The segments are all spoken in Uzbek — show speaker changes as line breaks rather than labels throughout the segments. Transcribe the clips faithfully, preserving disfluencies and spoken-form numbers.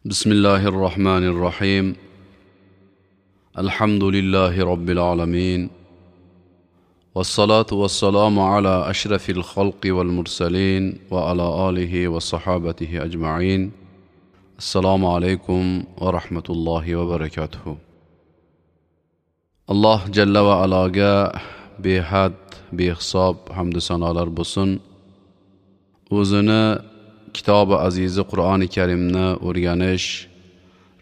Bismillahir Rahmanir Rahim. Alhamdulillahi Robbil alamin. Vassalatu vassalamu ala ashrafil xalqi val mursalin va ala alihi va sahabatihi ajma'in. Assalomu alaykum va rahmatullohi va barakatuh. Alloh jalla va aloga behad, behisob hamd sanolar bo'lsin. O'zini kitobi azizi Qur'oni Karimni o'rganish,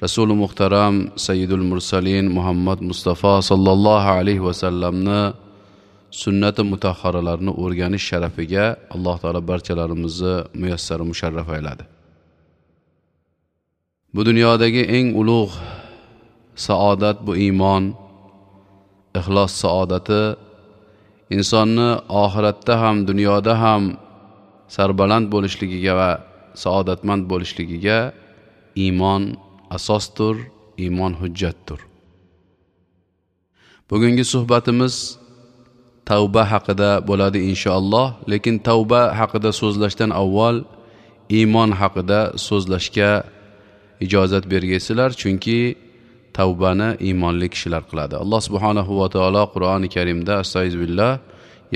Rasuli muhtaram Sayyidul Mursalin Muhammad Mustafa sallallohu alayhi va sallamni sunnati mutahharalarini o'rganish sharafiga Alloh taolo barchalarimizni muyassar musharraf ayladi. Bu dunyodagi eng ulug' saodat bu iymon, ixlos saodati insonni oxiratda ham dunyoda ham sarbaland bo'lishligiga va saodatmand bo'lishligiga iymon asosdir, iymon hujjatdir. Bugungi suhbatimiz tavba haqida bo'ladi inshaalloh, lekin tavba haqida so'zlashdan avval iymon haqida so'zlashga ijozat bergaysizlar, chunki tavbani iymonli kishilar qiladi. Alloh subhanahu va taolo Qur'oni Karimda astag'firullah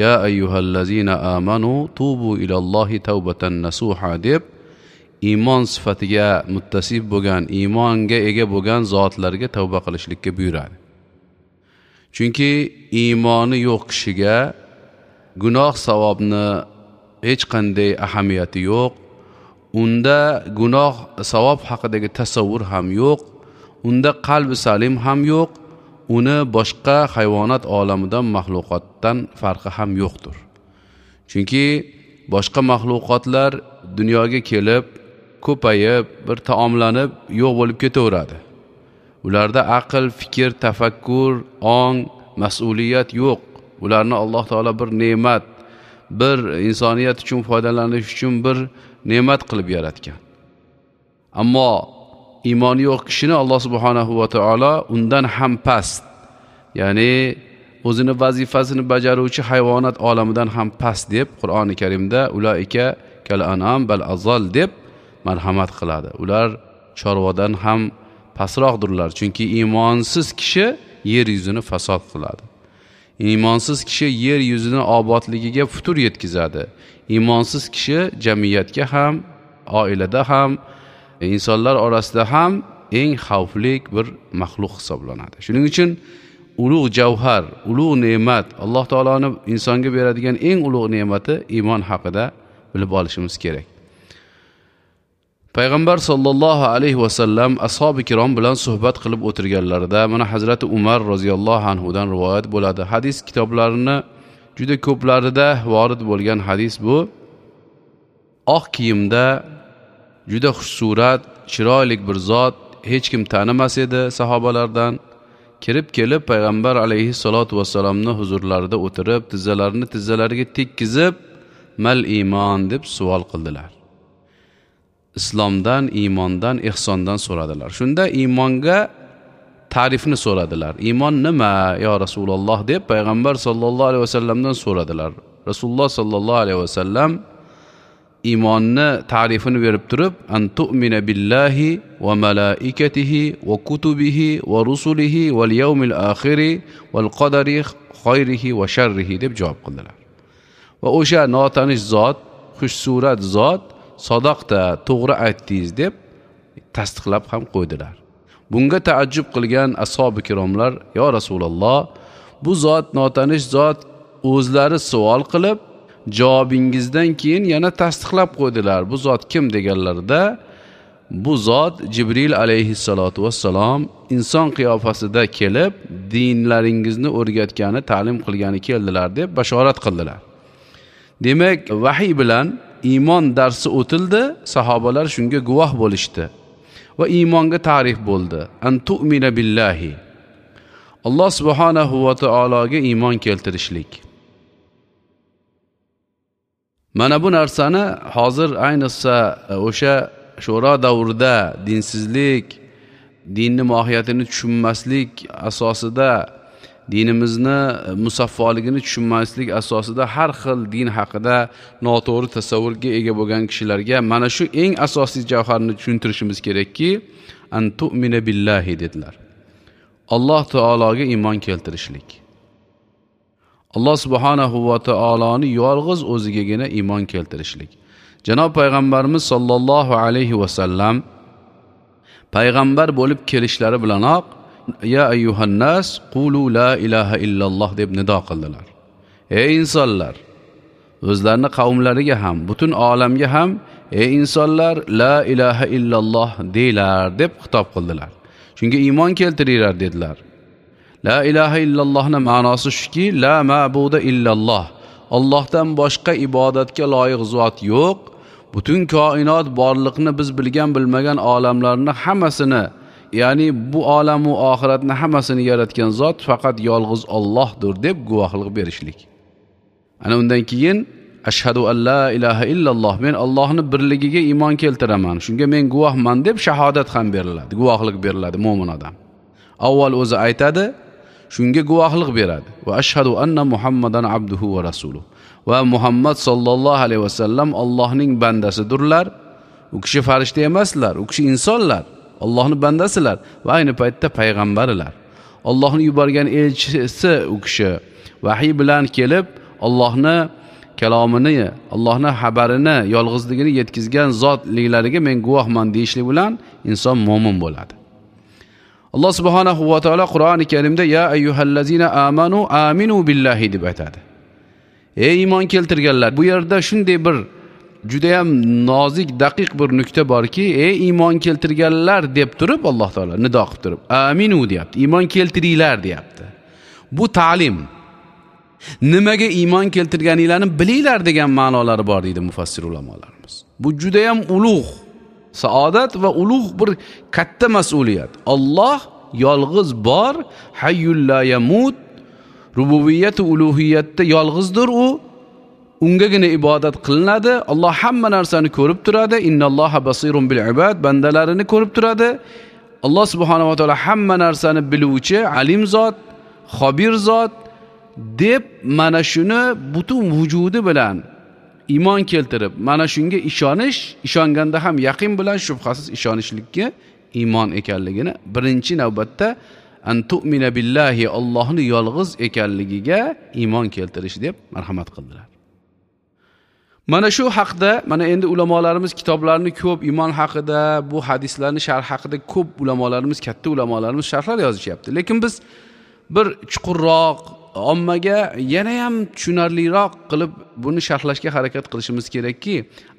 ya ayyuhallazina amanu tubu ilallohi tavbatan nasuha deb iymon sifatiga muttasif bo'lgan, iymonga ega bo'lgan zotlarga tavba qilishlikka buyuradi. Chunki iymoni yo'q kishiga gunoh savobni hech qanday ahamiyati yo'q. Unda gunoh savob haqidagi tasavvur ham yo'q, unda qalbi salim ham yo'q, uni boshqa hayvonot olamidan, maxluqotdan farqi ham yo'qdir. Chunki boshqa maxluqotlar dunyoga kelib, ko'payib, bir taomlanib, yo'q bo'lib ketaveradi. Ularda aql, fikr, tafakkur, ong, mas'uliyat yo'q. Ularni Alloh taolo bir ne'mat, bir insoniyat uchun foydalanish uchun bir ne'mat qilib yaratgan. Ammo iymoni yo'q kishini Alloh subhanahu va taolo undan ham past, ya'ni o'zini vazifasini bajaruvchi hayvonot olamidan ham past deb Qur'oni Karimda ulaika kal an'am bal azal deb marhamat qiladi. Ular chorvadan ham pastroqdirlar, chunki iymonsiz kishi yer yuzini fasod qiladi. Iymonsiz kishi yer yuzini obodligiga futur yetkazadi. Iymonsiz kishi jamiyatga ham, oilada ham, insonlar orasida ham eng xavfli bir maxluq hisoblanadi. Shuning uchun ulug' javhar, ulug' ne'mat, Alloh taoloning insonga beradigan eng ulug' ne'mati iymon haqida bilib olishimiz kerak. Payg'ambar sollallohu alayhi vasallam ashabi kirom bilan suhbat qilib o'tirganlarida mana Hazrati Umar roziyallohu anhu dan rivoyat bo'ladi. Hadis kitoblarini juda ko'plarida vorid bo'lgan hadis bu. Oq kiyimda juda xushsurat, chiroyli bir zot, hech kim tanimas edi sahobalardan. Kirib kelib payg'ambar alayhissalatu vassalamning huzurlarida o'tirib, tizzalarini tizzalariga tekkizib, mal iymon deb savol qildilar. Islomdan, iymondan, ihsondan so'radilar. Shunda iymonga ta'rifni so'radilar. Iymon nima yo Rasululloh deb payg'ambar sollallohu alayhi vasallamdan so'radilar. Rasululloh sollallohu alayhi vasallam iymonni ta'rifini berib turib, an tu'mina billahi va malaikatihi va kutubihi va rusulihi val yawmil akhiri val qadari khayrihi va sharrihi deb javob qildilar. Va o'sha notanish zot, xushsurat zot sadoqda, to'g'ri aytdingiz deb tasdiqlab ham qo'ydilar. Bunga taajjub qilgan ashabi kiromlar, yo Rasululloh, bu zot notanish zot o'zlari savol qilib, javobingizdan keyin yana tasdiqlab qo'ydilar. Bu zot kim deganlarida, bu zot Jibril alayhissalatu vassalom inson qiyofasida kelib, dinlaringizni o'rgatgani, ta'lim qilgani keldilar deb bashorat qildilar. Demak, vahiy bilan iymon darsi o'tildi, sahobalar shunga guvoh bo'lishdi va iymonga ta'rif bo'ldi. An tu'mina billahi. Alloh subhanahu va taologa iymon keltirishlik. Mana bu narsani hozir ayniqsa o'sha sho'ro davrida dinsizlik, dinni mohiyatini tushunmaslik asosida dinimizni musaffoligini tushunmaslik asosida har xil din haqida noto'g'ri tasavvurga ega bo'lgan kishilarga mana shu eng asosiy javharni tushuntirishimiz kerakki, an tu'mina billahi dedilar. Alloh taologa iymon keltirishlik. Alloh subhanahu va taoloni yolg'iz o'zigagina iymon keltirishlik. Janob payg'ambarimiz sollallohu alayhi va sallam payg'ambar bo'lib kelishlari bilanoq ya ayyuhannas qulu la ilaha illalloh deb nido qildilar. Ey insonlar, o'zlarini qavmlariga ham, butun olamga ham ey insonlar la ilaha illalloh deylar deb xitob qildilar. Shunga iymon keltiringlar dedilar. La ilaha illallohning ma'nosi shuki, la ma'buda illalloh. Allohdan boshqa ibodatga loyiq zot yo'q. Butun koinot borliqni biz bilgan bilmagan olamlarni hammasini, ya'ni bu olam va oxiratni hammasini yaratgan zot faqat yolg'iz Allohdir deb guvohlik berishlik. Ana undan keyin ashhadu an la ilaha illalloh, men Allohning birligiga iymon keltiraman, shunga men guvohman deb shahodat ham beriladi, guvohlik beriladi mo'min odam. Avval o'zi aytadi, shunga guvohlik beradi. Va ashhadu anna Muhammadan abduhu va rasuluhu. Va Muhammad sallallohu alayhi vasallam Allohning bandasidirlar. U kishi farishta emaslar, u kishi insonlar, Allohning bandasilar va ayni paytda payg'ambarlar. Allohning yuborgan elchisi u kishi vahiy bilan kelib Allohni kalomini, Allohning xabarini, yolg'izligini yetkazgan zotliklariga men guvohman deyishlik bilan inson mo'min bo'ladi. Alloh subhanahu va taolo Qur'oni Karimda ya ayyuhallazina amanu aminu billahi deb aytadi. Ey iymon keltirganlar, bu yerda shunday bir juda ham nozik, daqiq bir nuqta borki, ey iymon keltirganlar deb turib Alloh taolo nido qilib turib, aminu deyapti. Iymon keltiringlar deyapti. Bu ta'lim. Nimaga iymon keltirganinglarni bilinglar degan ma'nolari bor deydi mufassir ulamolarimiz. Bu juda ham ulug' saodat va ulug' bir katta mas'uliyat. Alloh yolg'iz bor, hayyul la yamut, rububiyat va uluhiyatda yolg'izdir u. Ungagina ibodat qilinadi. Alloh hamma narsani ko'rib turadi. Innalloha basirun bil ibad, bandalarini ko'rib turadi. Alloh subhanahu va taolo hamma narsani biluvchi, alim zot, xobir zot deb mana shuni butun vujudi bilan iymon keltirib, mana shunga ishonish, ishonganda ham yaqin bilan shubhasiz ishonishlikka iymon ekanligini birinchi navbatda an tu'mina billahi, Allohning yolg'iz ekanligiga iymon keltirish deb marhamat qildilar. Mana shu haqda mana endi ulamolarimiz kitoblarini ko'p iymon haqida, bu hadislarni sharh haqida ko'p ulamolarimiz, katta ulamolarimiz sharhlar yozishyapti. Lekin biz bir chuqurroq, ommaga yana ham tushunarliroq qilib buni sharhlashga harakat qilishimiz kerakki,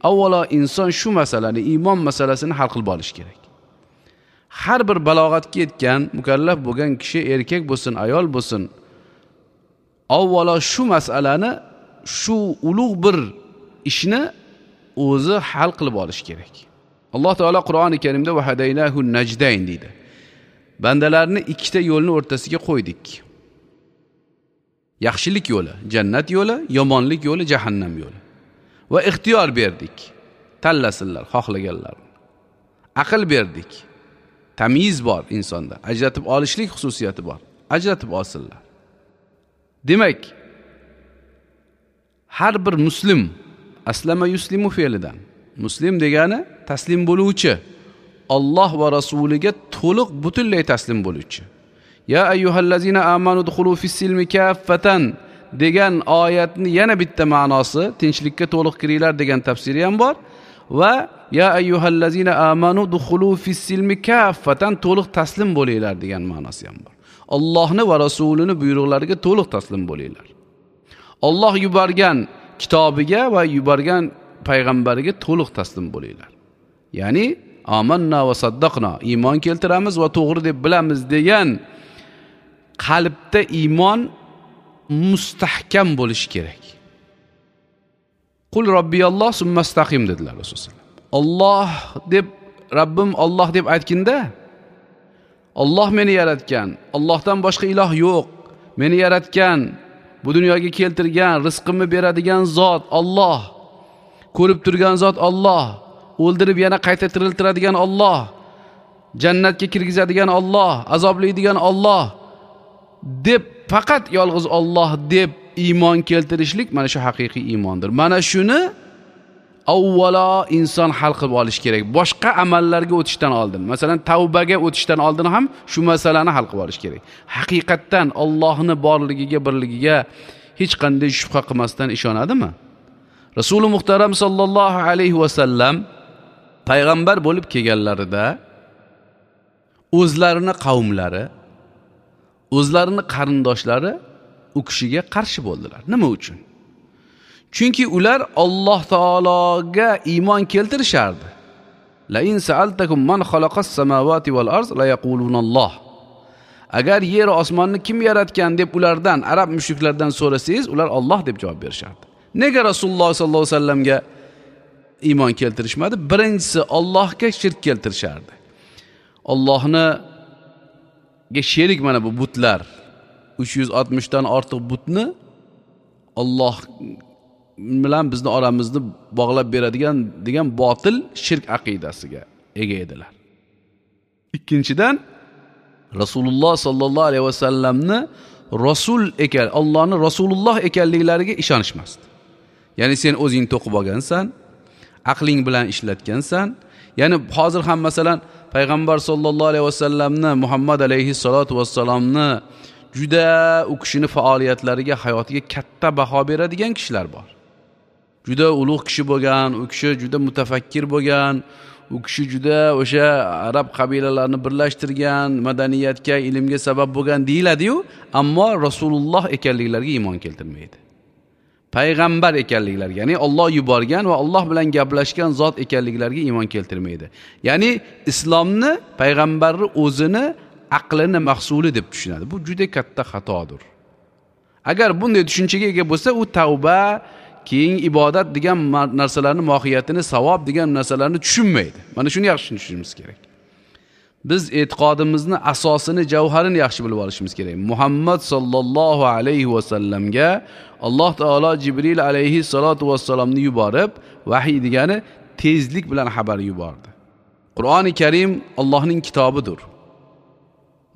avvalo inson shu masalani, iymon masalasini hal qilib olish kerak. Har bir balog'atga yetgan, mukallaf bo'lgan kishi, erkak bo'lsin, ayol bo'lsin, avvalo shu masalani, shu ulug' bir ishni o'zi hal qilib olish kerak. Alloh taolo Qur'oni Karimda va hadaynahu najdayn deydi. Bandalarni ikkita yo'lni o'rtasiga qo'ydik. Yaxshilik yo'li, jannat yo'li, yomonlik yo'li, jahannam yo'li. Va ixtiyor berdik. Tanlasinlar xohlaganlarini. Aql berdik. Tamyiz bor insonda. Ajratib olishlik xususiyati bor. Ajratib olsinlar. Demak, har bir muslim aslama yuslimu fe'lidan. Muslim degani taslim bo'luvchi, Alloh va rasuliga to'liq butunlay taslim bo'luvchi. Ya ayyuhallazina amanu dukhulu fis-silmi kaffatan degan oyatni yana bitta ma'nosi tinchlikka to'liq kiringlar degan tafsiri ham bor va ya ayyuhallazina amanu dukhulu fis-silmi kaffatan to'liq taslim bo'linglar degan ma'nosi ham bor. Allohni va rasulini buyruqlariga to'liq taslim bo'linglar. Alloh yuborgan kitobiga va yuborgan payg'ambariga to'liq taslim bo'linglar. Ya'ni amanna va saddaqna, iymon keltiramiz va to'g'ri deb bilamiz degan qalbda iymon mustahkam bo'lishi kerak. Qul robbiyalloh summastaqim dedilar Rasululloh. Alloh deb, Rabbim Alloh deb aytginda, Alloh meni yaratgan, Allohdan boshqa iloh yo'q, meni yaratgan, bu dunyoga keltirgan, rizqimni beradigan zot Alloh, ko'rib turgan zot Alloh, o'ldirib yana qayta tiriltiradigan Alloh, jannatga kirgizadigan Alloh, azoblaydigan Alloh deb, faqat yolg'iz Alloh deb iymon keltirishlik mana shu haqiqiy iymondir. Mana shuni avvalo inson hal qilib olish kerak. Boshqa amallarga o'tishdan oldin, masalan, tavbaga o'tishdan oldin ham shu masalani hal qilib olish kerak. Haqiqatdan Allohning borligiga, birligiga hech qanday shubha qilmasdan ishonadimi? Rasuli muhtaram sallallohu alayhi va sallam payg'ambar bo'lib kelganlarida o'zlarini qavmlari, o'zlarini qarindoshlari u kishiga qarshi bo'ldilar. Nima uchun? Chunki ular Alloh taologa iymon keltirishardi. La in sa'altakum man xalaqas samawati wal ard la yaqulunalloh. Agar yer va osmonni kim yaratgan deb ulardan, arab mushriklardan so'rasangiz, ular Alloh deb javob berishardi. Nega Rasululloh sallallohu alayhi vasallamga iymon keltirishmadi? Birinchisi, Allohga shirk keltirishardi. Allohni sherik mana bu butlar, uch yuz oltmishdan ortiq butni Alloh bilan bizni oramizni bog'lab beradigan degan botil shirk aqidasiga ega edilar. Ikkinchidan, Rasululloh sallallohu alayhi vasallamni rasul ekan, Allohning Rasululloh ekanliklariga ishonishmasdi. Ya'ni sen o'zing to'qib olgansan, aqling bilan ishlatgansan. Ya'ni hozir ham masalan payg'ambar sallallohu alayhi vasallamni, Muhammad alayhi salatu vassalomni juda u kishini faoliyatlariga, hayotiga katta baho beradigan kishilar bor. Juda ulug' kishi bo'lgan, u kishi juda mutafakkir bo'lgan, u kishi juda o'sha arab qabilalarini birlashtirgan, madaniyatga, ilmga sabab bo'lgan deyiladi-yu, ammo Rasululloh ekanliklariga iymon keltirmaydi. Payg'ambar ekanliklariga, ya'ni Alloh yuborgan va Alloh bilan gaplashgan zot ekanliklariga iymon keltirmaydi. Ya'ni islomni payg'ambarni o'zini aqlini mahsuli deb tushunadi. Bu juda katta xatodir. Agar bunday tushunchaga ega bo'lsa, u tavba, keyin ibodat degan narsalarning mohiyatini, savob degan narsalarni tushunmaydi. Mana shuni yaxshi tushunishimiz kerak. Biz e'tiqodimizni asosini, javharini yaxshi bilib olishimiz kerak. Muhammad sallallohu alayhi va sallamga Alloh taolo Jibril alayhi salatu vassalomni yuborib, vahiy degani tezlik bilan xabar yubordi. Qur'oni Karim Allohning kitobidir.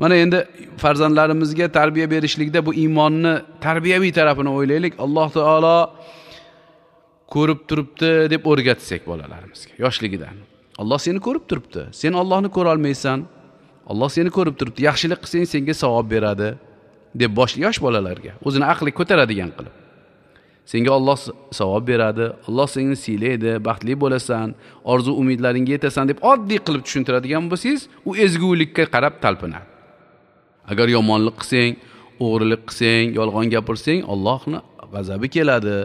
Mana endi farzandlarimizga tarbiya berishlikda bu iymonni tarbiyaviy tarafini o'ylaylik. Alloh taolo ko'rib turibdi deb o'rgatsak bolalarimizga yoshligidan. Alloh seni ko'rib turibdi. Sen Allohni ko'ra olmaysan. Alloh seni ko'rib turibdi. Yaxshilik qilsang senga savob beradi deb bosh yosh bolalarga o'zini aqli ko'taradigan qilib. Senga Alloh savob beradi, Alloh seni siylaydi, baxtli bo'lasan, orzu umidlaringga yetasan deb oddiy qilib tushuntiradigan bo'lsangiz, u ezgulikka qarab talpinadi. Agar yomonlik qilsang, o'g'rilik qilsang, yolg'on gapirsang, Allohning g'azabi keladi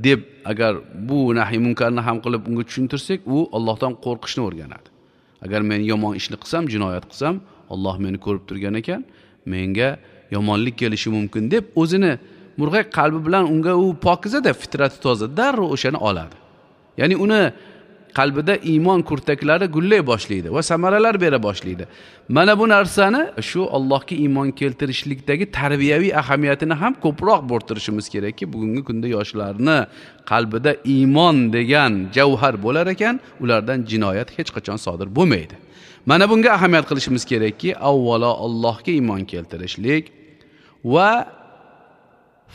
deb agar bu nahiy munkarni ham qilib unga tushuntirsak, u Allohdan qo'rqishni o'rganadi. Agar men yomon ishni qilsam, jinoyat qilsam, Alloh meni ko'rib turgan ekan, menga yomonlik kelishi mumkin deb o'zini murg'ak qalbi bilan unga u pokizada, fitrati toza, darrov o'shani oladi. Ya'ni uni qalbida iymon kurtaklari gullay boshlaydi va samaralar bera boshlaydi. Mana bu narsani shu Allohga iymon keltirishlikdagi tarbiyaviy ahamiyatini ham ko'proq bo'rttirishimiz kerakki, bugungi kunda yoshlarni qalbida iymon degan javhar bo'lar ekan, ulardan jinoyat hech qachon sodir bo'lmaydi. Mana bunga ahamiyat qilishimiz kerakki, avvalo Allohga iymon keltirishlik va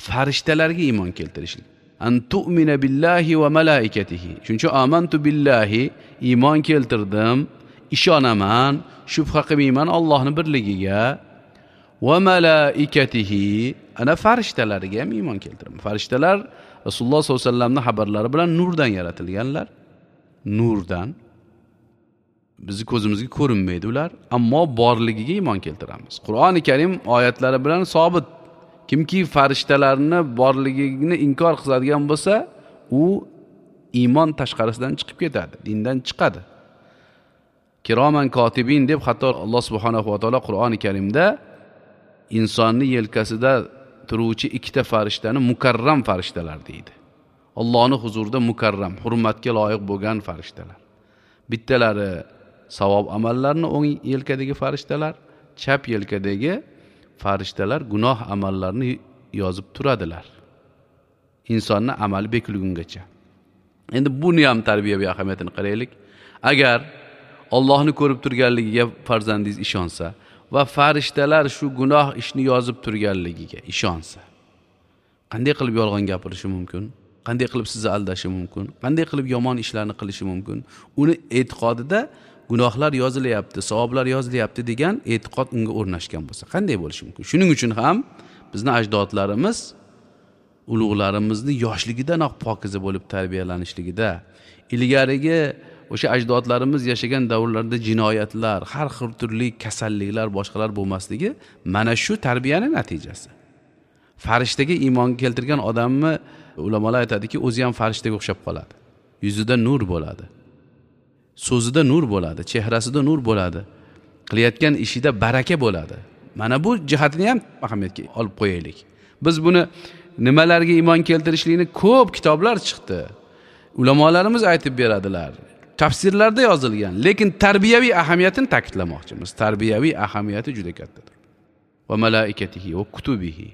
farishtalarga iymon keltirishlik. An tu'mina billahi va malaikatihi. Chunki amantu billahi, iymon keltirdim, ishonaman, shubha qilmayman Allohning birligiga, va malaikatihi, ana farishtalariga ham iymon keltiraman. Farishtalar Rasululloh sollallohu alayhi vasallamning xabarlari bilan nurdan yaratilganlar. Nurdan. Bizi ko'zimizga ko'rinmaydi ular, ammo borligiga iymon keltiramiz. Qur'oni Karim oyatlari bilan sobit. Kimki farishtalarni borligini inkor qiladigan bo'lsa, u iymon tashqarisidan chiqib ketadi, dindan chiqadi. Kiroman kotibin deb hatto Alloh subhanahu va taolo Qur'oni Karimda insonni yelkasida turuvchi ikkita farishtani mukarram farishtalar deydi. Allohning huzurida mukarram, hurmatga loyiq bo'lgan farishtalar. Bittalari savob amallarni o'ng yelkadagi farishtalar, chap yelkadagi farishtalar gunoh amallarni yozib turadilar. Insonni amali bekulgungacha. Endi buni ham tarbiyaviy ahamiyatini qaraylik. Agar Allohni ko'rib turganligiga farzandingiz ishonsa va farishtalar shu gunoh ishni yozib turganligiga ishonsa, qanday qilib yolg'on gapirishi mumkin? Qanday qilib sizni aldashi mumkin? Qanday qilib yomon ishlarni qilishi mumkin? Uni e'tiqodida gunohlar yozilyapti, savoblar yozilyapti degan e'tiqod unga o'rnashgan bo'lsa, qanday bo'lishi mumkin? Shuning uchun ham bizni ajdodlarimiz ulug'larimizni yoshligidanoq pokiza bo'lib tarbiyalanishligida, ilgarigi o'sha ajdodlarimiz yashagan davrlarda jinoyatlar, har xil turli kasalliklar, boshqalar bo'lmasligi mana shu tarbiyaning natijasi. Farishtaga iymon keltirgan odamni ulamolar aytadiki, o'zi ham farishtaga o'xshab qoladi. Yuzida nur bo'ladi. So'zida nur bo'ladi, chehrasida nur bo'ladi. Qilayotgan ishida baraka bo'ladi. Mana bu jihatini ham ahamiyatga olib qo'yaylik. Biz buni nimalarga iymon keltirishlikni ko'p kitoblar chiqdi. Ulamolarimiz aytib beradilar. Tafsirlarda yozilgan, lekin tarbiyaviy ahamiyatini ta'kidlamoqchimiz. Tarbiyaviy ahamiyati juda kattadir. Va malaikatihi va kutubihi.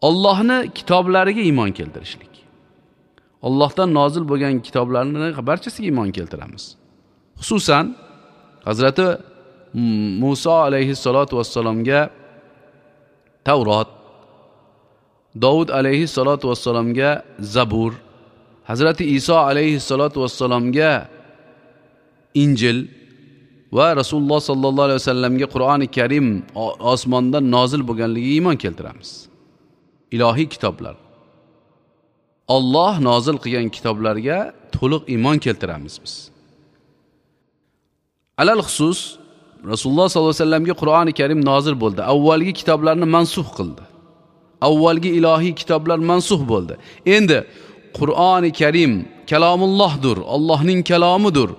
Allohning kitoblariga iymon keltirishlik. Allohdan nozil bo'lgan kitoblarni barchasiga iymon keltiramiz. Xususan Hazrati Musa alayhissalatu vassalomga Tavrot, Davud alayhissalatu vassalomga Zabur, Hazrati Iso alayhissalatu vassalomga Injil va Rasululloh sallallohu alayhi vasallamga Qur'oni Karim osmondan nozil bo'lganligiga iymon keltiramiz. Ilohiy kitoblar. Alloh nozil qilgan kitoblarga to'liq iymon keltiramiz biz. Alal xusus Rasululloh sallallohu alayhi vasallamga Qur'oni Karim nozil bo'ldi. Avvalgi kitoblarni mansux qildi. Avvalgi ilohiy kitoblar mansux bo'ldi. Endi Qur'oni Karim kalomullohdir, Allohning kalomidir.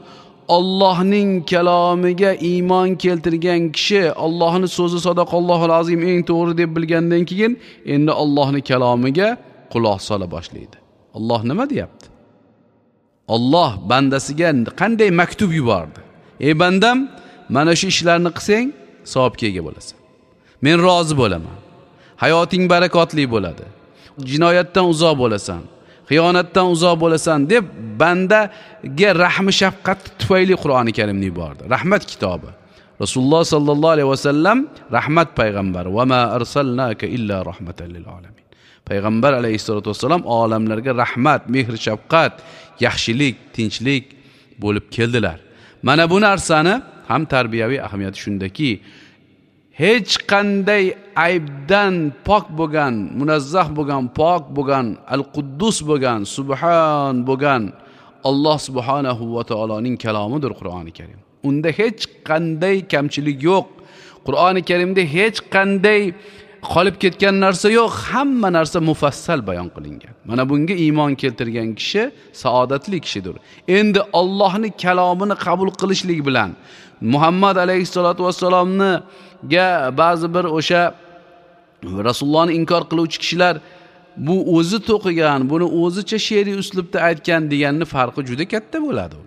Allohning kalomiga iymon keltirgan kishi Allohning so'zi sadaqallohul azim eng to'g'ri deb bilgandan keyin endi Allohning kalomiga quloq sola boshlaydi. Alloh nima deyapti? Alloh bandasiga qanday maktub yubordi? Ey bandam, mana shu ishlarni qilsang savobga ega bo'lasan. Men rozi bo'laman. Hayoting barakotli bo'ladi. Jinoyatdan uzoq bo'lasan. Xiyonatdan uzoq bo'lasan deb bandaga rahmi shafqat tufayli Qur'oni Karimni yubordi. Rahmat kitobi. Rasululloh sallallohu alayhi vasallam rahmat payg'ambari. Va ma arsalnaka illa rahmatan lil alamin. Payg'ambar alayhissalatu vassalam olamlarga rahmat, mehr, shafqat, yaxshilik, tinchlik bo'lib keldilar. Mana bu narsani ham tarbiyaviy ahamiyati shundaki, hech qanday aybdan pok bo'lgan, munazzah bo'lgan, pok bo'lgan, al-Quddus bo'lgan, subhan bo'lgan Alloh subhanahu va taoloning kalomidir Qur'oni Karim. Unda hech qanday kamchilik yo'q. Qur'oni Karimda hech qanday qolib ketgan narsa yo'q, hamma narsa mufassal bayon qilingan. Mana bunga iymon keltirgan kishi saodatli kishidir. Endi Allohning kalomini qabul qilishlik bilan Muhammad alayhissalatu vassalomni ga ba'zi bir o'sha Rasulullohni inkor qiluvchi kishilar bu o'zi to'qigan, buni o'zicha she'riy uslubda aytgan deganni farqi juda katta bo'ladi.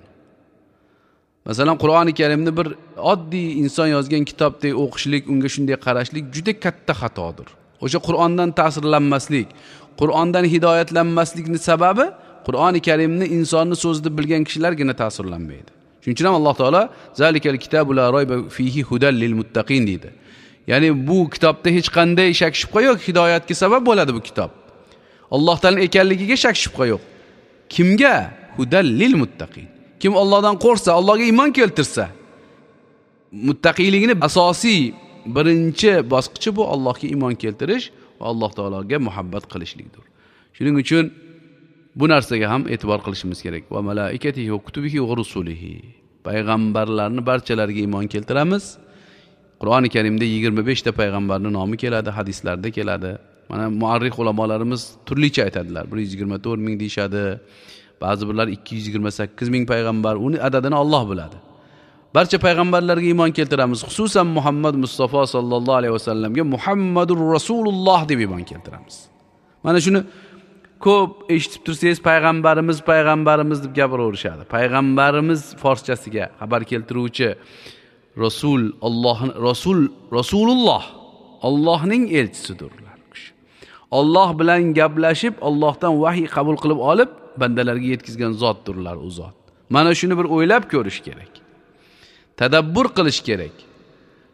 Masalan, Qur'oni Karimni bir oddiy inson yozgan kitobdek o'qishlik, unga shunday qarashlik juda katta xatodir. O'sha Qur'ondan ta'sirlanmaslik, Qur'ondan hidoyatlanmaslikning sababi Qur'oni Karimni insonni so'zida bilgan kishilargina ta'sirlanmaydi. Shuning uchun ham Alloh taolo zalikal kitabu la rayba fihi hudan lil muttaqin deydi. Ya'ni bu kitobda hech qanday shak shubha yo'q, hidoyatga sabab bo'ladi bu kitob. Allohdan ekanligiga shak shubha yo'q. Kimga? Hudan lil muttaqin. Kim Allohdan qo'rqsa, Allohga iymon keltirsa, muttaqiyligini asosiy birinchi bosqichi bu Allohga iymon keltirish va Alloh taologa muhabbat qilishlikdir. Shuning uchun bu narsaga ham e'tibor qilishimiz kerak. Va malaikatihi va kutubihi va rusulihi. Payg'ambarlarni barchalariga iymon keltiramiz. Qur'oni Karimda yigirma besh ta payg'ambarning nomi keladi, hadislarda keladi. Mana muarrix ulamolarimiz turlicha aytadilar. bir yuz yigirma to'rt ming deyishadi. Ba'zi birlar ikki yuz yigirma sakkiz ming payg'ambar, uni adadini Alloh biladi. Barcha payg'ambarlarga iymon keltiramiz. Xususan Muhammad Mustafa sallallohu alayhi vasallamga Muhammadur Rasululloh deb iymon keltiramiz. Mana shuni ko'p eshitib tursangiz payg'ambarimiz payg'ambarimiz deb gapiraverishadi. Payg'ambarimiz forschasiga xabar keltiruvchi Rasul Allohning Rasul Rasululloh Allohning elchisidir ular. Alloh bilan gaplashib, Allohdan vahiy qabul qilib olib bandalarga yetkazgan zotdirlar u zot. Mana shuni bir o'ylab ko'rish kerak. Tadabbur qilish kerak.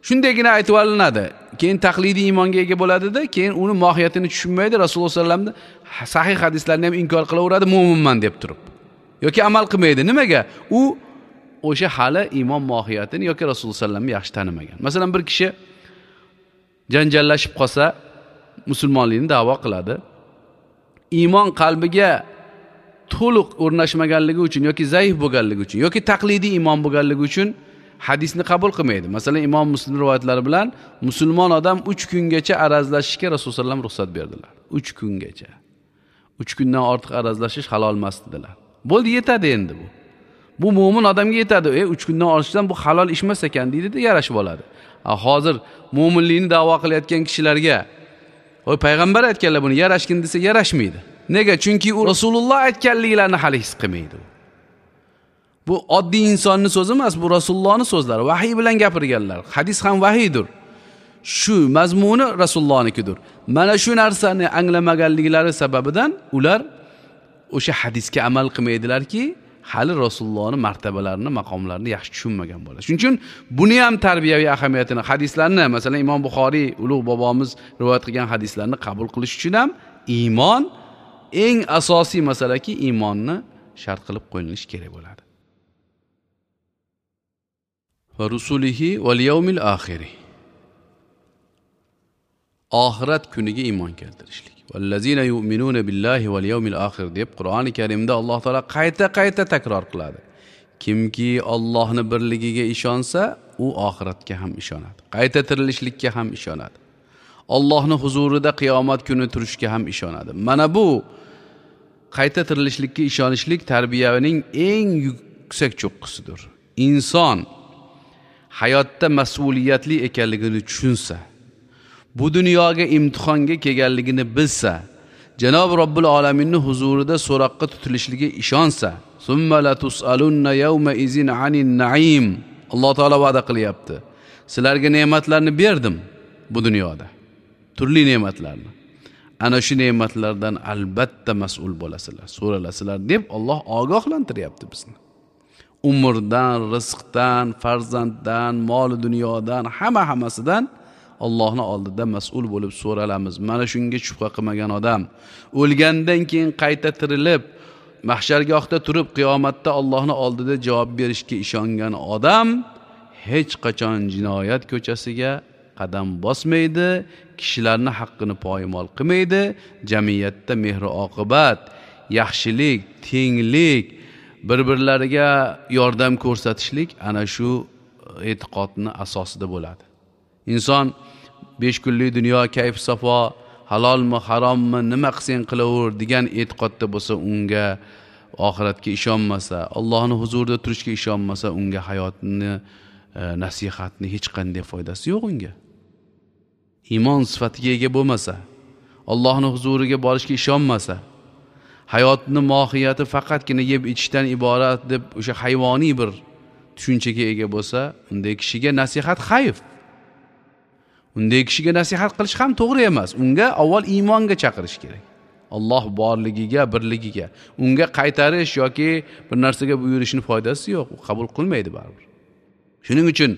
Shundaygina aytib olinadi. Keyin taqlidiy iymonga ega bo'ladida, keyin uni mohiyatini tushunmaydi, Rasululloh sollallohu alayhi vasallamni sahih hadislarni ham inkor qilaveradi, mo'minman deb turib. Yoki amal qilmaydi. Nimaga? U o'sha hali iymon mohiyatini yoki Rasululloh sollallohu alayhi vasallamni yaxshi tanimagan. Masalan, bir kishi janjallashib qolsa, musulmonlikni da'vo qiladi. Iymon qalbiga to'liq o'rnashmaganligi uchun yoki zaif bo'lganligi uchun yoki taqlidiy iymon bo'lganligi uchun hadisni qabul qilmaydi. Masalan, Imom Muslim rivoyatlari bilan musulmon odam uch kungacha arazlashishga Rasululloh sollallohu alayhi vasallam ruxsat berdilar. uch kungacha. uch kundan ortiq arazlashish halol emas dedilar. Bo'ldi, yetadi endi bu. Bu mo'min odamga yetadi. E, uch kundan ortishdan bu halol ish emas ekan deydi-da, yarashib oladi. Hozir mo'minlikni da'vo qilayotgan kishilarga "Voy, payg'ambar aytganlar buni, yarashgin" desa yarashmaydi. Nega? Chunki u Rasululloh aytganliklarini hali his qilmaydi. Bu oddiy insonning so'zi emas, bu Rasulullohning so'zlari, vahiy bilan gapirganlar. Hadis ham vahiydir. Shu mazmuni Rasulullohnikidir. Mana shu narsani anglamaganliklari sababidan ular o'sha hadisga amal qilmaydilarki, hali Rasulullohning martabalarini, maqomlarini yaxshi tushunmagan bo'ladi. Shuning uchun buni ham tarbiyaviy ahamiyatini, hadislarni, masalan, Imom Buxoriy ulug' bobomiz rivoyat qilgan hadislarni qabul qilish uchun ham iymon eng asosiy masalaki, iymonni shart qilib qo'yilishi kerak bo'ladi. Va rusulihi val yawmil oxir. Oxirat kuniga iymon keltirishlik. Vallazina yu'minuna billahi val yawmil oxir deb Qur'oni Karimda Alloh taolo qayta-qayta takror qiladi. Kimki Allohning birligiga ishonsa, u oxiratga ham ishonadi. Qayta tirilishlikka ham ishonadi. Allohning huzurida qiyomat kuni turishga ham ishonadi. Mana bu qayta tirilishlikka ishonishlik tarbiyaning eng yuksak cho'qqisidir. Inson hayotda mas'uliyatli ekanligini tushunsa, bu dunyoga imtihonga kelganligini bilsa, Janob Robbil Alaminning huzurida so'roqqa tutilishiga ishonsa, summa la tusalunna yawma izin anin na'im. Alloh taolo va'da qilyapti. Sizlarga ne'matlarni berdim bu dunyoda. Turli ne'matlarni. Ana shu ne'matlardan albatta mas'ul bo'lasizlar, so'ralasizlar deb Alloh ogohlantiryapti bizni. Umrdan, rizqdan, farzanddan, mol dunyodan, hamma hammasidan Allohning oldida mas'ul bo'lib so'ralamiz. Mana shunga shubha qilmagan odam o'lgandan keyin qayta tirilib, mahshargohda turib qiyomatda Allohning oldida javob berishga ishongan odam hech qachon jinoyat ko'chasiga qadam bosmaydi, kishilarning haqqini poymol qilmaydi, jamiyatda mehr-oqibat, yaxshilik, tenglik, bir-birlariga yordam ko'rsatishlik ana shu e'tiqodning asosida bo'ladi. Inson besh kunlik dunyo kayf safo, halolmi, harommi, nima qilsang qilaver degan e'tiqodda bo'lsa, unga oxiratga ishonmasa, Allohning huzurida turishga ishonmasa, unga hayotni, nasihatni hech qanday foydasi yo'q unga. Iymon sifatiga ega bo'lmasa, Allohning huzuriga borishga ishonmasa, hayotning mohiyati faqatgina yeb ichishdan iborat deb o'sha hayvoniy bir tushunchaga ega bo'lsa, unday kishiga nasihat hayf. Unday kishiga nasihat qilish ham to'g'ri emas. Unga avval iymonga chaqirish kerak. Alloh borligiga, birligiga. Unga qaytarish yoki bir narsaga buyurishning foydasi yo'q, u qabul qilmaydi baribir. Shuning uchun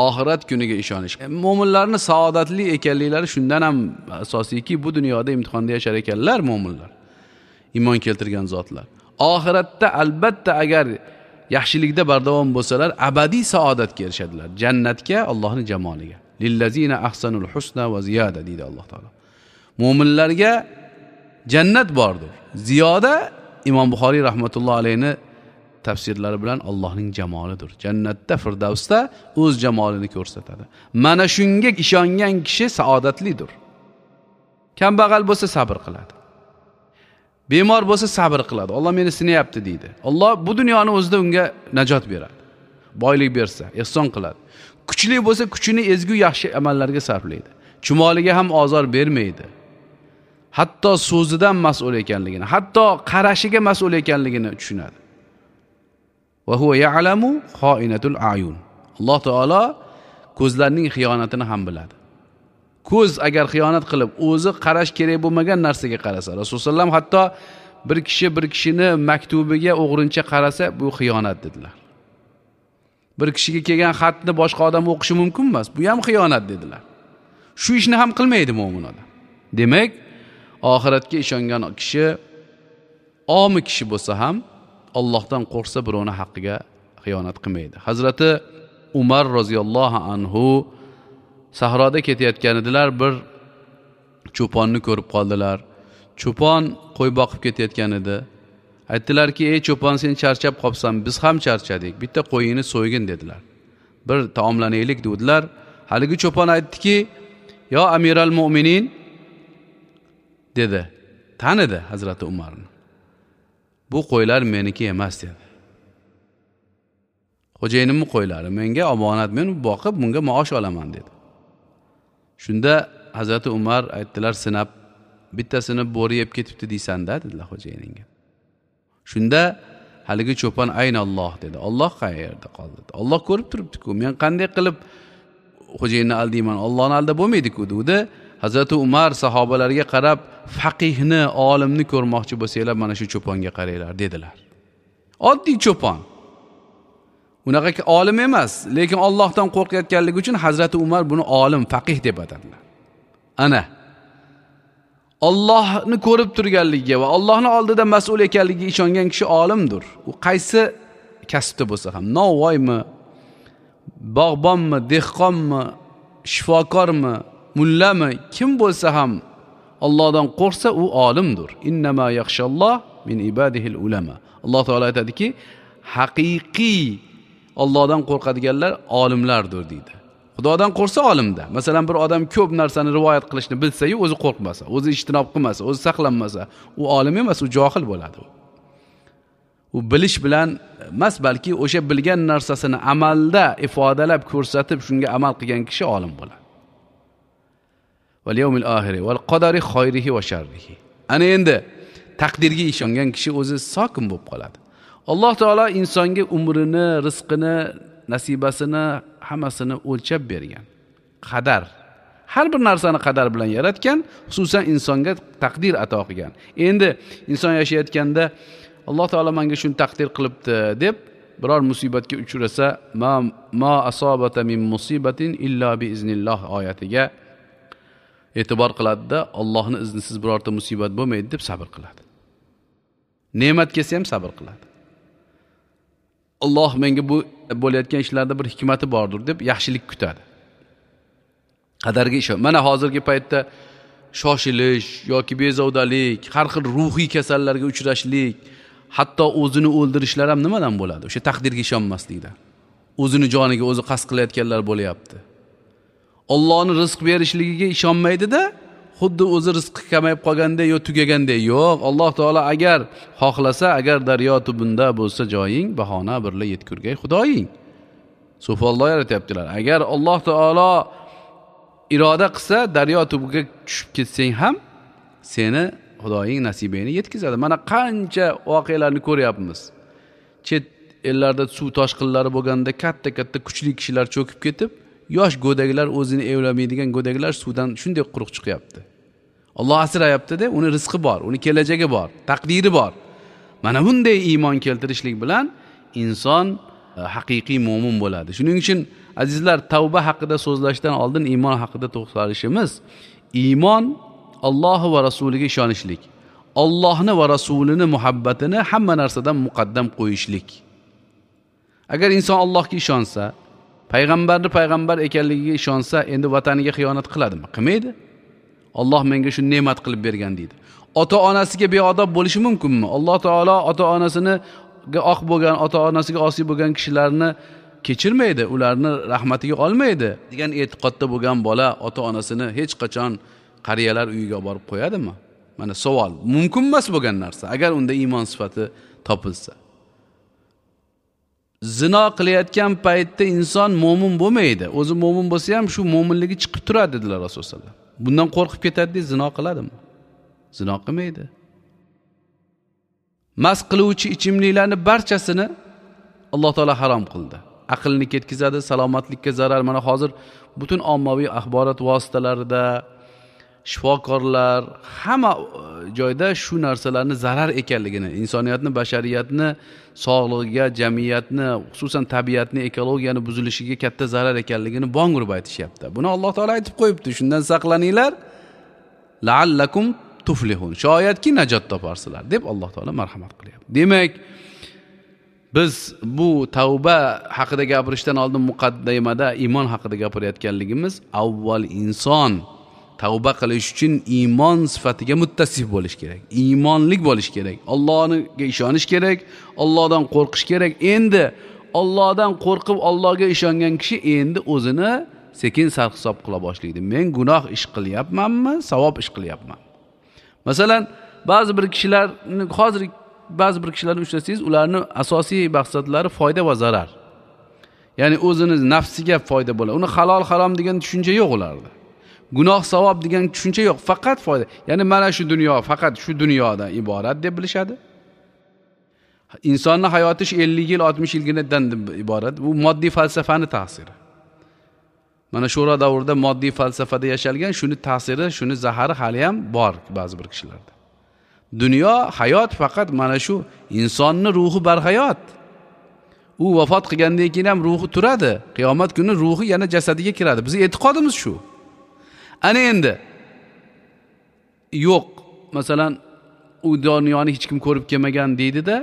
oxirat kuniga ishonish. Mo'minlarning saodatli ekanliklari shundan ham asosiyki, bu dunyoda imtihonda yashar ekanlar mo'minlar. Iymon keltirgan zotlar. Oxiratda albatta agar yaxshilikda bardavom bo'lsalar, abadiy saodatga erishadilar. Jannatga, Allohning jamoliga. Lillazina ahsanul husna va ziyada deydi Alloh taolo. Mo'minlarga jannat bordir. Ziyoda Imom Buxoriy rahmatullohi alayhi tafsirlari bilan Allohning jamolidir. Jannatda, Firdavsda o'z jamolini ko'rsatadi. Mana shunga ishongan kishi saodatlidir. Kambag'al bo'lsa sabr qiladi. Bemor bo'lsa sabr qiladi. Alloh meni sinayapti deydi. Alloh bu dunyoni o'zida unga najot beradi. Boylik bersa, ehson qiladi. Kuchli bo'lsa kuchini ezgu yaxshi amallarga sarflaydi. Chumoliga ham ozor bermaydi. Hatto so'zidan mas'ul ekanligini, hatto qarashiga mas'ul ekanligini tushunadi. Va huwa ya'lamu kha'inatul a'yun. Alloh taolo ko'zlarning xiyonatini ham biladi. Ko'z agar xiyonat qilib, o'zi qarash kerak bo'lmagan narsaga qarasa, Rasululloh sollallohu alayhi vasallam hatto bir kishi bir kishini maktubiga o'g'rincha qarasa, bu xiyonat dedilar. Bir kishiga kelgan xatni boshqa odam o'qishi mumkin emas. Bu ham xiyonat dedilar. Shu ishni ham qilmaydi mo'min odam. Demak, oxiratga ishongan kishi omi kishi bo'lsa ham Allohdan qo'rqsa birovning haqqiga xiyonat qilmaydi. Hazrati Umar roziyallohu anhu sahroda ketayotgan edilar, bir cho'ponni ko'rib qoldilar. Cho'pon qo'y boqib ketayotgan edi. Aytdilarki, ey cho'pon, sen charchab qolsan, biz ham charchadik. Bitta qo'yingni so'ygin dedilar. Bir taomlanaylik dedilar. Haligi cho'pon aytdiki, yo amiral mu'minin dedi. Tanidi Hazrati Umarni. Bu qo'ylar meniki emas dedi. Xo'jayinimning qo'ylari menga omonat, men boqib bunga maosh olaman dedi. Shunda Hazrati Umar aytdilar, sinab bittasini bo'ri yeb ketibdi deysan-da dedilar xo'jayiningga. Shunda haligi cho'pon ayni Alloh dedi. Alloh qayerda qoldi dedi. Alloh ko'rib turibdi-ku, men qanday qilib xo'jayinni aldayman, Allohni aldab bo'lmaydi-ku dedi. Hazrati Umar sahobalarga qarab, faqihni, olimni ko'rmoqchi bo'lsanglar, mana shu cho'ponga qaranglar dedilar. Oddiy cho'pon. Unaqa olim emas, lekin Allohdan qo'rqayotganligi uchun Hazrati Umar buni olim, faqih deb atadilar. Ana Allohni ko'rib turganligiga va Allohning oldida mas'ul ekanligiga ishongan kishi olimdir. U qaysi kasbda bo'lsa ham, novvoymi, bog'bonmi, dehqonmi, shifokormi, mullami, kim bo'lsa ham Allohdan qo'rqsa u olimdir. Innama yakhshalloh min ibadihil ulama. Alloh taolo aytadiki, haqiqiy Allohdan qo'rqadiganlar olimlardir deydi. Xudodan qo'rqsa olimda. Masalan, bir odam ko'p narsani rivoyat qilishni bilsa-yu, o'zi qo'rqmasa, o'zi ijtinob qilmasa, o'zi saqlanmasa, u olim emas, u johil bo'ladi. U bilish bilan emas, balki o'sha bilgan narsasini amalda ifodalab ko'rsatib, shunga amal qilgan kishi olim bo'ladi. Val yawmil oxir val qadari xayrihi va sharrihi. Ana endi taqdirga ishongan kishi o'zi sokin bo'lib qoladi. Alloh taolo insonga umrini, rizqini, nasibasini hammasini o'lchab bergan. Qadar. Har bir narsani qadar bilan yaratgan, xususan insonga taqdir ato qilgan. Endi inson yashayotganda Alloh taolo menga shuni taqdir qilibdi deb biror musibatga uchrasa, ma ma asabata min musibatin illa bi iznilloh oyatiga e'tibor qiladida, Allohning iznisiz birorta musibat bo'lmaydi deb sabr qiladi. Ne'mat kelsa ham sabr qiladi. Alloh menga bu bo'layotgan ishlarda bir hikmati bordir deb yaxshilik kutadi. Qadarga ishon. Mana hozirgi paytda shoshilish yoki bezovdalik, har xil ruhiy kasallarga uchrashlik, hatto o'zini o'ldirishlar ham nimadan bo'ladi? O'sha taqdirga ishonmaslikdan. O'zini joniga o'zi qasd qilayotganlar bo'lyapti. Allohning rizq berishligiga ishonmaydi-da, xuddi o'zi rizqi kamayib qolganday yo tugaganday. Yo'q, Alloh taolo agar xohlasa, agar daryo tubunda bo'lsa joying, bahona birla yetkurgay Xudoying. Sufolloh yaratyaptilar. Agar Alloh taolo iroda qilsa, daryo tubiga tushib ketsang ham seni Xudoying nasibangni yetkazadi. Mana qancha voqealarni ko'ryapmiz. Chet ellarda suv toshqinlari bo'lganda katta-katta kuchli kishilar cho'kib ketib, yosh go'daklar, o'zini evlamaydigan go'daklar suvdan shunday quruq chiqyapti. Alloh asrayapti-da, uni rizqi bor, uni kelajagi bor, taqdiri bor. Mana bunday iymon keltirishlik bilan inson haqiqiy mo'min bo'ladi. Shuning uchun azizlar, tavba haqida so'zlashdan oldin iymon haqida to'xtalishimiz. Iymon Alloh va rasuliga ishonishlik, Allohni va rasulini muhabbatini hamma narsadan muqaddam qo'yishlik. Agar inson Allohga ishonsa, payg'ambarni payg'ambar ekanligiga ishonsa, endi vataniga xiyonat qiladimi? Qilmaydi. Alloh menga shu ne'mat qilib bergan deydi. Ota-onasiga beodob bo'lishi mumkinmi? Alloh taolo ota-onasini oq bo'lgan, ota-onasiga osiy bo'lgan kishilarni kechirmaydi, ularni rahmatiga olmaydi degan e'tiqodda bo'lgan bola ota-onasini hech qachon qariyalar uyiga borib qo'yadimi? Mana savol, mumkin emas bo'lgan narsa agar unda iymon sifati topilsa. Zino qilayotgan paytda inson mo'min bo'lmaydi. O'zi mo'min bo'lsa ham shu mo'minligi chiqib turadi dedilar Rasululloh sollallohu alayhi vasallam. Bundan qo'rqib ketadi, zino qiladimi? Zino qilmaydi. Mast qiluvchi ichimliklarni barchasini Alloh taolo harom qildi. Aqlni ketkizadi, salomatlikka zarar. Mana hozir butun ommaviy axborot vositalarida, shifokorlar hamma joyda shu narsalarni zarar ekanligini, insoniyatni, bashariyatni sog'lig'iga, jamiyatni, xususan tabiatni, ekologiyani buzilishiga katta zarar ekanligini bong urib aytishyapti. Buni Alloh taolo aytib qo'yibdi. Shundan saqlaninglar, la'allakum tuflihun. Shoyatki najot toparsizlar deb Alloh taolo marhamat qilyapti. Demak, biz bu tavba haqida gapirishdan oldin muqaddimada iymon haqida gapirayotganligimiz, avval inson tavba qilish uchun iymon sifatiga muttasif bo'lish kerak. Iymonlik bo'lish kerak. Allohga ishonish kerak, Allohdan qo'rqish kerak. Endi Allohdan qo'rqib Allohga ishongan kishi endi o'zini sekin sarhisob qila boshlaydi. Men gunoh ish qilyapmanmi, savob ish qilyapmanmi? Masalan, ba'zi bir kishilarni hozir ba'zi bir kishilarni uchrasangiz, ularni asosiy maqsadlari foyda va zarar. Ya'ni o'zini nafsiga foyda bo'ladi. Uni halol harom degan tushuncha yo'q ularda. Gunoh savob degan tushuncha yo'q, faqat foyda. Ya'ni mana shu dunyo faqat shu dunyodan iborat deb bilishadi. Insonning hayoti shu ellik yil, oltmish yilginadan iborat. Bu moddiy falsafani ta'siri. Mana sho'ro davrida moddiy falsafada yashalgan, shuni ta'siri, shuni zahari hali ham bor ba'zi bir kishilarda. Dunyo, hayot faqat mana shu insonning ruhi barhayot. U vafot qilgandan keyin ham ruhi turadi. Qiyomat kuni ruhi yana jasadiga kiradi. Bizning e'tiqodimiz shu. Ana endi yo'q, masalan, u dunyoni hech kim ko'rib kelmagan deydi-da,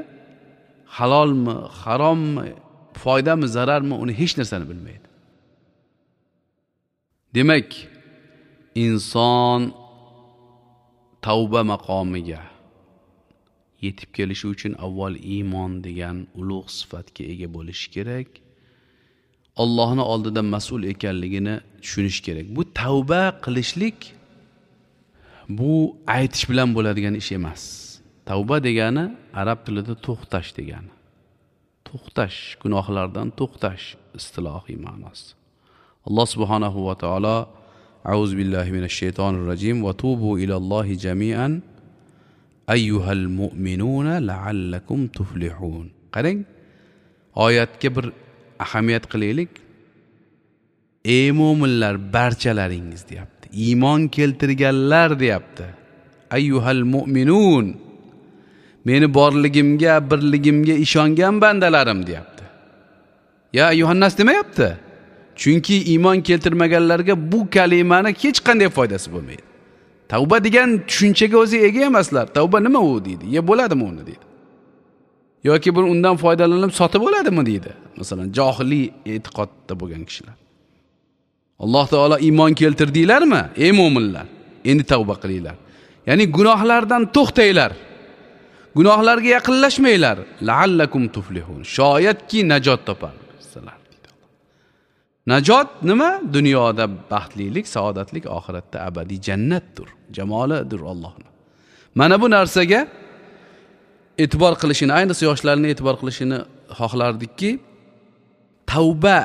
halolmi, harommi, foydami, zararmi, uni hech narsani bilmaydi. Demak, inson tavba maqomiga yetib kelishi uchun avval iymon degan ulug' sifatga ega bo'lishi kerak. Allohning oldida mas'ul ekanligini tushunish kerak. Bu tavba qilishlik bu aytish bilan bo'ladigan ish emas. Tavba degani arab tilida to'xtash degani. To'xtash, gunohlardan to'xtash istilohiy ma'nosi. Alloh subhanahu va taolo A'udhu billahi minash shaytonir rojim va tubu ilallohi jami'an ayyuhal mu'minuna la'allakum tuflihun. Qarang, oyatga bir ahamiyat qilaylik. Ey mo'minlar, barchalaringiz deyapti. Iymon keltirganlar deyapti. Ayyuhal mu'minun. Meni borligimga, birligimga ishongan bandalarim deyapti. Ya ayyuhannas demayapti. Chunki iymon keltirmaganlarga bu kalimani hech qanday foydasi bo'lmaydi. Tavba degan tushunchaga o'zi ega emaslar. Tavba nima u deydi. Ye bo'ladimi uni deydi. Yoki bir undan foydalanib sotib oladimi deydi. Masalan, johiliy e'tiqodda bo'lgan kishilar. Alloh taolo iymon keltirdinglarmi? Ey mo'minlar, endi tavba qilinglar. Ya'ni gunohlardan to'xtanglar. Gunohlarga yaqinlashmanglar. La'allakum tuflihun. Shoyatki najot toparsizlar deydi Alloh. Najot nima? Dunyoda baxtlilik, saodatlik, oxiratda abadiy jannatdir. Jamolidir Allohning. Mana bu narsaga e'tibor qilishini, ayniqsa yoshlarni e'tibor qilishini xohlardikki, tavba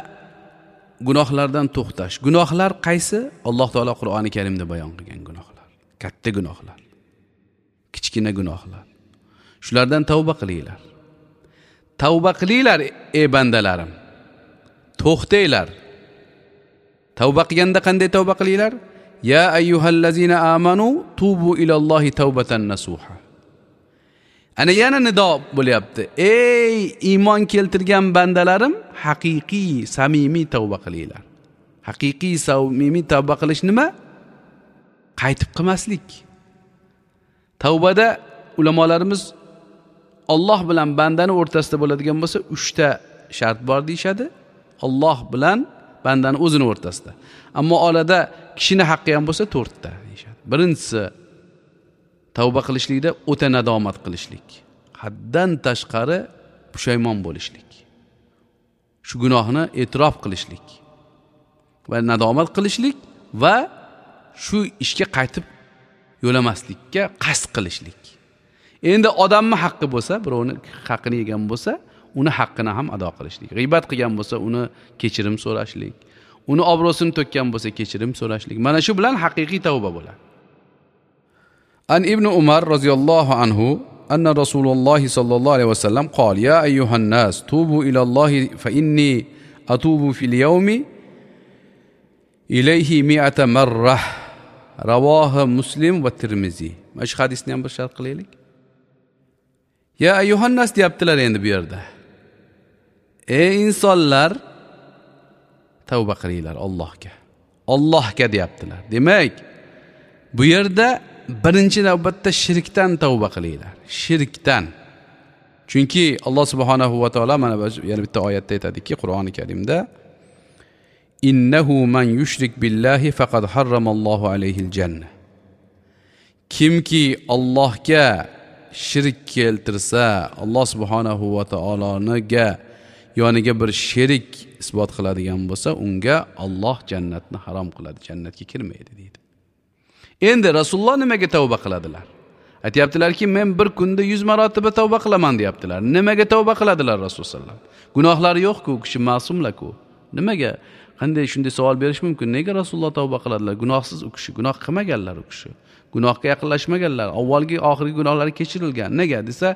gunohlardan to'xtash. Gunohlar qaysi? Alloh taolo Qur'oni Karimda bayon qilgan gunohlar. Katta gunohlar, kichkina gunohlar. Shulardan tavba qilinglar. Tavba qilinglar ey bandalarim. To'xtanglar. Tavba qilganda qanday tavba qilinglar? Ya ayyuhallazina amanu tubu ilallohi tavbatan nasuha. Ana yana nido bo'lyapti. Ey iymon keltirgan bandalarim, haqiqiy, samimiy tavba qilinglar. Haqiqiy, samimiy tavba qilish nima? Qaytib qilmaslik. Tavbada ulamolarimiz Alloh bilan bandani o'rtasida bo'ladigan bo'lsa, uchta shart bor deyshadi. Alloh bilan bandani o'zini o'rtasida. Ammo orada kishini haqqi ham bo'lsa to'rtta deyshadi. Birinchisi tavba qilishlikda o'ta nadomat qilishlik, haddan tashqari pushaymon bo'lishlik, shu gunohni e'tirof qilishlik va nadomat qilishlik va shu ishga qaytib yo'lamaslikka qasd qilishlik. Endi odamning haqqi bo'lsa, birovning haqqini yegan bo'lsa, uni haqqini ham ado qilishlik. G'iybat qilgan bo'lsa, uni kechirim so'rashlik, uni obro'sini to'kkan bo'lsa, kechirim so'rashlik. Mana shu bilan haqiqiy tavba bo'ladi. An ibn Umar radhiyallohu anhu anna Rasululloh sallallohu alayhi vasallam qol ya ayyuhan nas tubu ila Allohi fa inni atubu fil yawmi ilayhi mi'ata marrah. Ravohi Muslim va Termiziy. Mana shu hadisni ham bir sharh qilaylik. Ya ayyuhannas deyaptilar endi bu yerda. Ey insonlar, tavba qilinglar Allohga. Allohga deyaptilar. Demak, bu yerda birinchi navbatda shirkdan tavba qilinglar. Shirkdan. Chunki Alloh subhanahu va taolo mana yana bitta oyatda aytadiki, Qur'oni Karimda innahu man yushrik billahi faqad harramallohu alayhil janna. Kimki Allohga shirk keltirsa, Alloh subhanahu va taoloniga yoniga bir sherik isbot qiladigan bo'lsa, unga Alloh jannatni harom qiladi, jannatga kirmaydi deydi. Endi Rasululloh nimaga tavba qiladilar? Aytayaptilarki, men bir kunda yuz marotaba tavba qilaman deyaptilar. Nimaga tavba qiladilar Rasululloh sallam? Gunohlari yo'q-ku, u kishi ma'sumlar-ku. Nimaga? Qanday shunday savol berish mumkin? Nega Rasululloh tavba qiladilar? Gunohsiz u kishi, gunoh qilmaganlar u kishi. Gunohga yaqinlashmaganlar, avvalgi oxirgi gunohlari kechirilgan. Nega desa,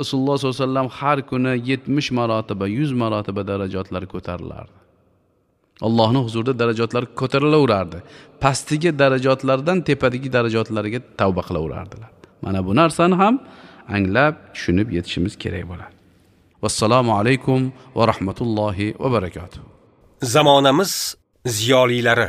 Rasululloh sollallohu alayhi vasallam har kuni yetmish marotaba, yuz marotaba darajatlar ko'tarilardi. Allohning huzurida darajatlar ko'tarilaverardi. Pastdagi darajatlardan tepadagi darajatlarga tavba qilaverardilar. Mana bu narsani ham anglab, tushunib yetishimiz kerak bo'ladi. Vassalomu alaykum va rahmatullohi va barakatuh.
Zamonamiz ziyolilari.